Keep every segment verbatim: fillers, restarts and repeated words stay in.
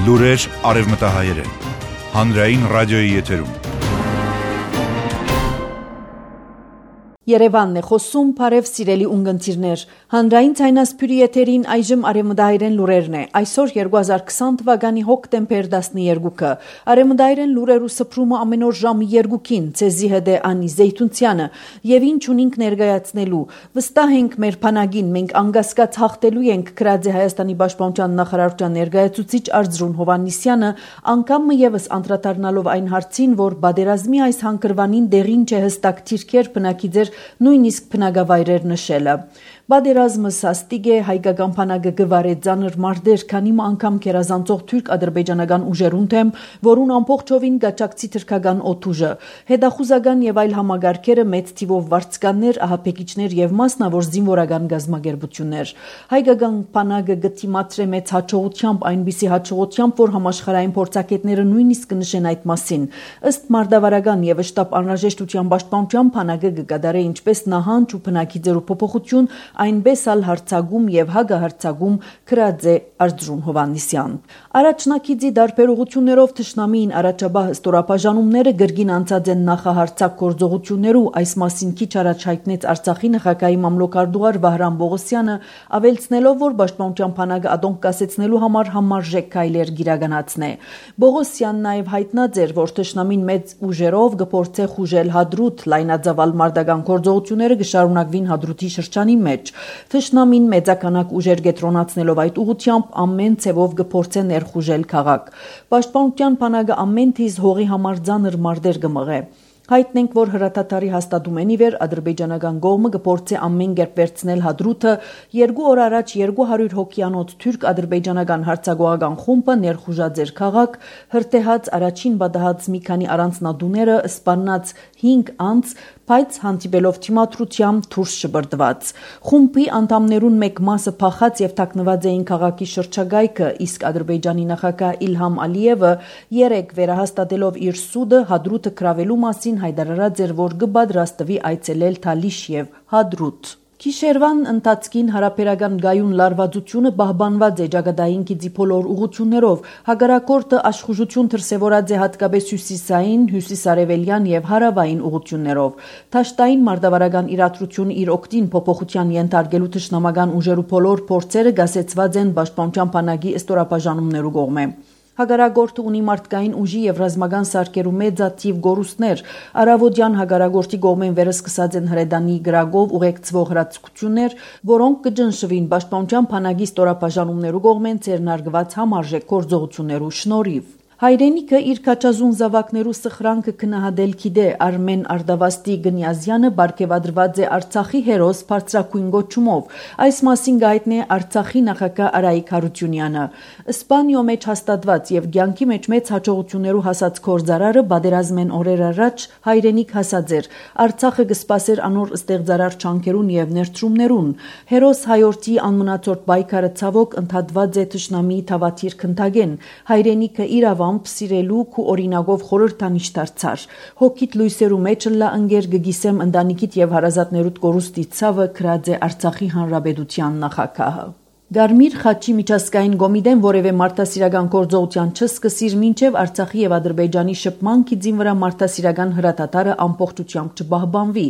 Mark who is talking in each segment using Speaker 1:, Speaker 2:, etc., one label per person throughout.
Speaker 1: Լուրեր արևմտահայերեն, հանրային ռադիոյի եթերում։
Speaker 2: Երևանն է խոսում, բարև սիրելի ունգընտիրներ, հանրային ցայնասփյուրի եթերին այժմ արևմտահայերեն լուրերն է, այսօր երկու հազար քսան թվականի հոկտեմբեր տասնյոթը, արևմտահայերեն լուրերու սփռումը ամեն օր ժամը երկուքին, ցեզի հետ է Անի Զեյթունցյանը, եւ ինչ ունենք ներկայացնելու, վստահ ենք մեր բանակին, մենք անկասկած հաղթելու ենք, գրած է Հայաստանի պաշտպանության նախարարության ներկայացուցիչ Արծրուն Հովհաննիսյանը, անգամ եւս անդրադառնալով այն հարցին, որ բادرազմի այս հանգրվանին դեղին չէ հստակ թիրքեր բնակի ձեր նույնիսկ բնակավայրեր նշելը։ Բادرազմը սաստիկ է, հայկական բանակը գվարե ծանր մարտեր, քանի անգամ քերազանցող թուրք-ադրբեջանական ուժերուն թեմ, որուն ամբողջովին գաճակցի թրքական օդուժը, հետախուզական եւ այլ համագարկերը մեծ թիվով վարձկաններ, ահաբեկիչներ եւ մասնավոր զինվորական գազམ་ագերբություններ։ Հայկական բանակը գտիմացրե մեծ հաջողությամբ, այնպիսի հաջողությամբ, որ համաշխարհային փորձագետները նույնիսկ կնշեն այդ մասին։ Ըստ մարտավարական եւ շտաբ անհրաժեշտության պաշտպանության բանակը կկատարե ինչպես նահանջ ու բնակի ձեռու փոփոխություն, այնպես ալ հարցագում եւ հագահարցագում գրած է Արծրուն Հովհաննիսյան։ Առաջնակիցի դարբերություններով թշնամին առաջաբահ ստորապաժանումները գրգին անցած են նախահարցակ գործողություններու, այս մասին քիչ առաջ հայտնեց Արցախի նախագահի մամլոքարդուար Վահրամ Բողոսյանը, ավելցնելով, որ պաշտպանության բանակը ադոնք կասեցնելու համար համարժեք քայլեր գիրականացնե։ Բողոսյանն նաեւ հայտնած էր, որ թշնամին մեծ ուժերով կփորձե խուժել Հադրութ, լայնածավալ մարտական գործողությունները կշարունակվին Հադրութի շրջանի մեջ։ Թշնամին մեծականակ ուժեր կենտրոնացնելով այդ ուղղությամբ ամեն ցևով կփորձե ներխուժել քաղաք։ Պաշտպանության բանակը ամեն թիզ հողի համար ծանր մարտեր կմղե։ Հայտնենք, որ հրատատարի հաստատումեն ի վեր ադրբեջանական կողմը կփորձի ամեն կերպ վերցնել Հադրութը, երկու օր առաջ երկու հարյուր հոգյանոց թուրք-ադրբեջանական հարձակողական խումբը ներխուժած էր քաղաք, հրթեհած առաջին բադահած մի քանի առանձնատուները, սպանած հինգ անձ, բայց հանդիպելով թիմադրությամբ դուրս շպրտված։ Խումբի անդամներուն մեկ մասը փախած եւ թաքնված էին քաղաքի շրջակայքը, իսկ Ադրբեջանի նախագահ Իլհամ Ալիևը երեք վերահաստատելով իր սուդը Հադրութը կրավելու մասին հայտարարած էր, որ կպատրաստվի այցելել Թալիշ եւ Հադրութ։ Գիշերվան ընթացքին հարաբերական գայուն լարվածությունը պահպանված է ճակատային գիծի բոլոր ուղղություններով, հակառակորդը աշխուժություն դրսևորած է հատկապես հյուսիսային, հյուսիսարևելյան եւ հարավային ուղղություններով։ Դաշտային մարտավարական իրադրությունը իր օգտին փոփոխության ենթարկելու թշնամական ուժերու բոլոր փորձերը գասեցված են պաշտպանության բանակի ստորապաժանումներու կողմէ։ Հագարագորտը ունի մարդկային ուժի եւ ռազմական սարքերու մեծաթիվ գորուստներ, արավոդյան հագարագորտի կողմեն վերսկսած են հրեդանի գրագով ուղեկցվող հրացություններ, որոնք կջնշվին պաշտպանության բանակի ստորապաժանումներու կողմեն ցերնարգված համարժեք գործողություններու շնորհիվ։ Հայրենիքը իր քաչազուն զավակներու սխրանքը քնահատել գիտե Արմեն Արդավաստի Գնյազյանը բարգեւադրված է Արցախի հերոս բարձրակույն գոչումով։ Այս մասին գայտնի է Արցախի նախագահ Արայիկ Հարությունյանը։ Իսպանիո մեջ հաստատված եւ ցանկի մեջ մեծ հաջողություններու հասած կորզարարը բادرազմեն օրեր առաջ հայրենիք հասած էր։ Արցախը կսպասեր անոր ստեղծարար չանքերուն եւ ներդրումներուն։ Հերոս հայորդի անմնացորդ պայքարը ցավոք ընդհատված է թշնամի թավաթիր քնթագեն։ Հայրենիքը իրավամբ սիրելու ու օրինակով խորհրդանիշ դարձար։ Հոգիտ լույսերու մեջ լա ընկեր գգիսեմ ընտանիքիդ եւ հարազատներուդ կորուստի ցավը գրած է Արցախի հանրապետության նախագահը։ Գարմիր խաչի միջազգային կոմիտեն որևէ մարդասիրական գործողության չսկսիր մինչև Արցախի եւ Ադրբեջանի շփման գիծին վրա մարդասիրական հրատատարը ամբողջությամբ չպահպանվի,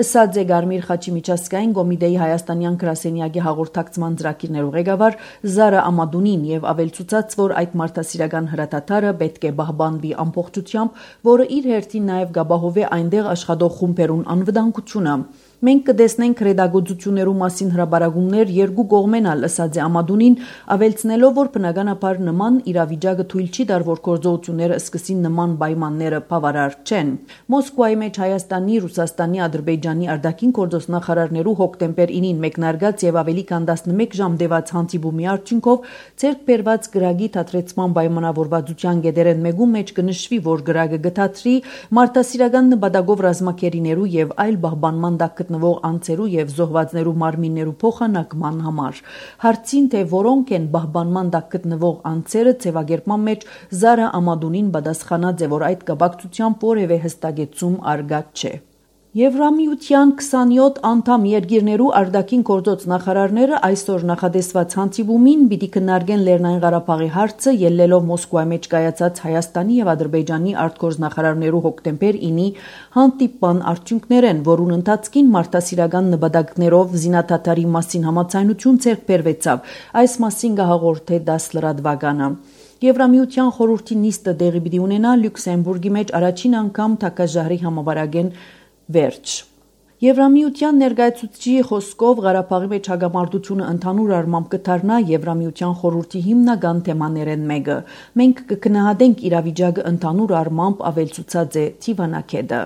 Speaker 2: ըսած է Գարմիր խաչի միջազգային կոմիտեի հայաստանյան գրասենյակի հաղորդակցման ծրագիրներու ղեկավար Զարա Ամադունին եւ ավելցուցած, որ այդ մարդասիրական հրատատարը պետք է պահպանվի ամբողջությամբ, որը իր հերթին նաեւ գաբահովե այնտեղ աշխատող խումբերուն անվտանգությունը։ Մենք կտեսնենք ռեդագործություններու մասին հրաբարագումներ երկու կողմենալ, ըսած է Ամադունին, ավելցնելով, որ բնականաբար նման իրավիճակը թույլ չի տար, որ գործողությունները սկսին նման պայմանները բավարար չեն։ Մոսկվայի մեջ Հայաստանի, Ռուսաստանի, Ադրբեջանի արտաքին գործոս նախարարներու հոկտեմբեր ինին մեկնարկած եւ ավելի քան տասնմեկ ժամ տևած հանդիպումի արդյունքով ցերկ բերված գրագի թատրեցման պայմանավորվածության գեդերեն մեկում մեջ կնշվի, որ գրագը գտածրի մարդասիրական նպատակով ռազմակերիներու եւ այլ պահպանման տակ գտնվող անձերու եւ զոհվածներու մարմիններու փոխանակման համար։ Հարցին թե որոնք են պահպանման տակ գտնվող անձերը ձևակերպման մեջ Զարա Ամադունին պատասխանած է, որ այդ կապակցությամբ որևէ հստակեցում արգած չէ։ Եվրամիության քսանյոթ անդամ երկիրներու արտաքին գործոց նախարարները այսօր նախադեсված հանդիպումին պիտի քննարկեն Լեռնային Ղարաբաղի հարցը, ելնելով Մոսկվայի մեջ կայացած Հայաստանի եւ Ադրբեջանի արտգործնախարարներու հոկտեմբեր ինի հանդիպման արդյունքներեն, որուն ընթացքին մարդասիրական նպատակներով զինադադարի մասին համաձայնություն ձեռք բերվեցավ։ Այս մասին կհաղորդե դաս լրատվականը։ Եվրամիության խորհրդի նիստը տեղի պիտի ունենա Լյուքսեմբուրգի մեջ առաջին անգամ թակաժահրի համավարակեն վերջ։ Եվրամիության ներկայացուցիչի խոսքով Ղարաբաղի մեջ հագամարտությունը ընդհանուր առմամբ կդառնա Եվրամիության խորհրդի հիմնական թեմաներեն մեկը։ Մենք կգնահատենք իրավիճակը ընդհանուր առմամբ ավելցուցած է Թիվանակեդը։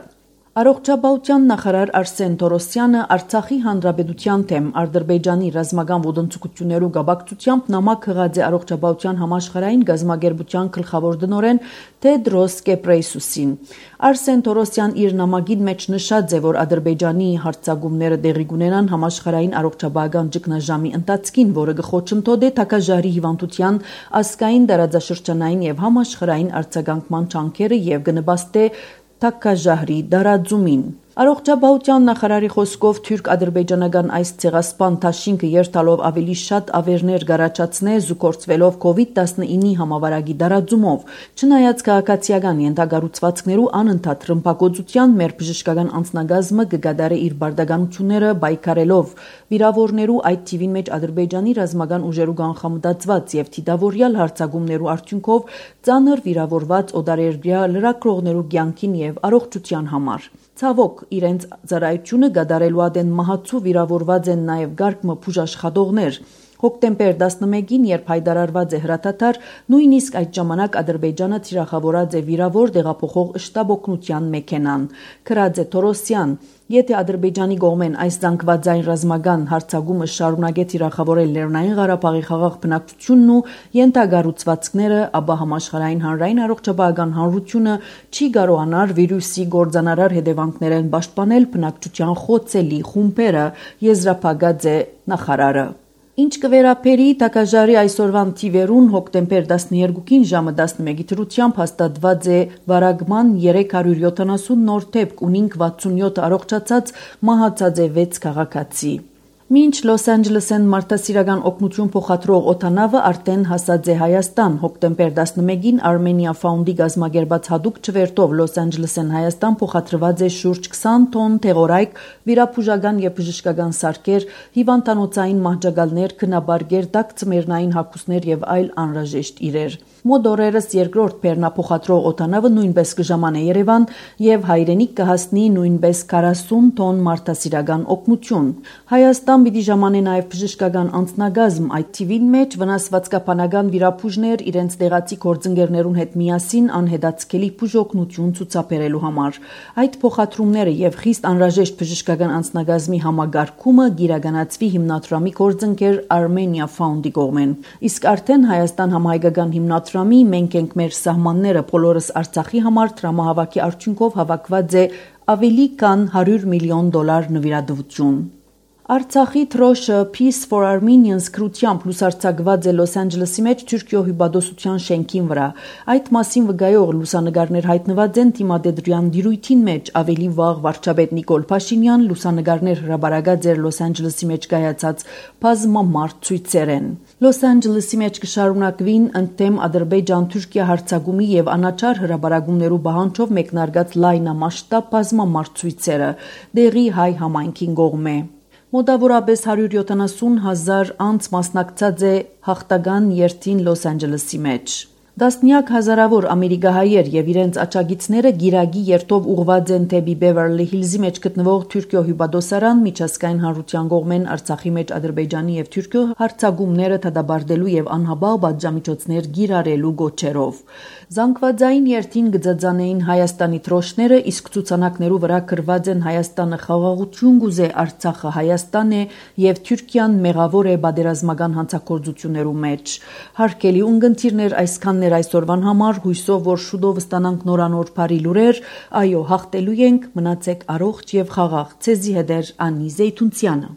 Speaker 2: Առողջապահության նախարար Արսեն Թորոսյանը Արցախի հանրապետության թեմ Ադրբեջանի ռազմական ոտնձգություններու գաբակցությամբ նամակ հղած է առողջապահության համաշխարհային գազագերբության գլխավոր տնօրեն Թեդրոս Կեբրեյսուսին։ Արսեն Թորոսյան իր նամակին մեջ նշած է, որ Ադրբեջանի հարձակումները տեղի կունենան համաշխարհային առողջապահական ճգնաժամի ընթացքին, որը կխոչընդոտի թակաժահրի հիվանդության ազգային տարածաշրջանային եւ համաշխարհային արձագանքման ճանքերը եւ կնպաստի թակաժահրի դարաձումին։ Առողջապահության նախարարի խոսքով թուրք-ադրբեջանական այս ցեղասպան դաշինքը երթալով ավելի շատ ավերներ գարաչացնե զուգործվելով կովիդ տասնինի համավարակի դարաձումով։ Չնայած քաղաքացիական ենթագառուցվածքներու անընդհատ ռմբակոծության մեր բժշկական անձնագազմը կգադարի իր բարդականությունները բայկարելով վիրավորներու այդ թիվին մեջ Ադրբեջանի ռազմական ուժերու կանխամտածված եւ թիդավորյալ հարձակումներու արդյունքով ծանր վիրավորված օտարերկրյա լրագրողներու կյանքին եւ առողջության համար։ Ցավոք, իրենց ծառայությունը գդարելու ադեն մահացու վիրավորված են նաև գարկմը բուժաշխատողներ։ Հոկտեմբեր տասնմեկին, երբ հայտարարված է հրատատար, նույնիսկ այդ ժամանակ Ադրբեջանը թիրախավորած է վիրավոր տեղափոխող շտաբ օգնության մեքենան։ Քրած է Թորոսյան, եթե Ադրբեջանի կողմեն այս զանգվածային ռազմական հարձակումը շարունակե թիրախավորել Լեռնային Ղարաբաղի խաղաղ բնակչությունն ու ենթագառուցվածքները, ապա համաշխարհային հանրային առողջապահական հանրությունը չի կարողանար վիրուսի գործանարար հետևանքներեն պաշտպանել բնակչության խոցելի խումբերը, եզրափակած է նախարարը։ Ինչ կվերապերի թակաժահրի այսօրվան թիվերուն հոկտեմբեր տասներկուին ժամը տասնմեկի դրությամբ հաստատված է վարակման երեք հարյուր յոթանասուն նոր դեպք, ունինք վաթսունյոթ առողջացած, մահացած է վեց քաղաքացի։ Մինչ Լոս Անջելեսեն մարդասիրական օգնություն փոխադրող օդանավը արդեն հասած է Հայաստան։ Հոկտեմբեր տասնմեկին Armenia Found-ի գազմագերբած հատուկ չվերթով Լոս Անջելեսեն Հայաստան փոխադրված է շուրջ քսան տոն թեղորայք, վիրաբուժական եւ բժշկական սարքեր, հիվանդանոցային մահճակալներ, քնաբարգեր, տաքծմերնային հագուստներ եւ այլ անհրաժեշտ իրեր։ Մոտ օրերս երկրորդ բեռնափոխադրող օդանավը նույնպես կժամանե Երևան եւ հայրենիք կհասնի նույնպես քառասուն տոն մարդասիրական օգնություն։ Հայաստան պիտի ժամանե նաև բժշկական անձնագազմ, այդ թիվին մեջ վնասվածքաբանական վիրաբույժներ իրենց տեղացի գործընկերներուն հետ միասին անհետացկելի բուժօգնություն ցուցաբերելու համար։ Այդ փոխադրումները եւ խիստ անհրաժեշտ բժշկական անձնագազմի համագարկումը գիրականացվի հիմնադրամի գործընկեր Armenia Found-ի կողմեն։ Իսկ արդեն Հայաստան համահայկական հիմնադրամի «Մենք ենք մեր սահմանները բոլորս Արցախի համար» տրամահավաքի արդյունքով հավաքված է ավելի քան հարյուր միլիոն դոլար նվիրատվություն։ Արցախի թրոշը Peace for Armenians կրությամբ լուսարձակված է Լոս Անջելեսի մեջ Թուրքիո հյուպատոսության շենքին վրա։ Այդ մասին վկայող լուսանկարներ հայտնված են Թիմադեդրյան դիրույթին մեջ։ Ավելի վաղ վարչապետ Նիկոլ Փաշինյան լուսանկարներ հրապարակած էր Լոս Անջելեսի մեջ կայացած բազմամարդ ցույցերեն։ Լոս Անջելեսի մեջ կշարունակվին ընդդեմ Ադրբեջան-Թուրքիա հարձակումի եւ անաչար հրապարակումներու բանջով մեկնարկած լայնամասշտաբ բազմամարդ ցույցերը դեղի հայ համայնքին կողմէ։ Մոտավորապես հարյուր յոթանասուն հազար անց մասնակցած է հաղթական երթին Լոս Անջելեսի մեջ։ Դասնյակ հազարավոր ամերիկահայեր եւ իրենց աջակիցները գիրագի երթով ուղղված են դեպի Բևերլի Հիլզի մեջ գտնվող Թուրքիո հյուպատոսարան միջազգային հանրության կողմեն Արցախի մեջ Ադրբեջանի եւ Թուրքիո հարձակումները դադարելու եւ անհաբաղ պատժամիջոցներ գիրարելու գոչերով։ Զանգվածային երթին գծածանեին Հայաստանի թրոշները, իսկ ցուցանակներու վրա գրված են Հայաստանը խաղաղություն գուզե, Արցախը Հայաստան է եւ Թուրքիան մեղավոր է պատերազմական հանցագործություններու մեջ։ Հարկելի ունգընտիրներ այսքան այսօրվան համար, հույսով, որ շուտով ստանանք նորանոր բարի լուրեր, այո, հաղթելու ենք, մնացեք առողջ եւ խաղաղ։ Ցեզի հետ է Անի Զեյթունցյանը։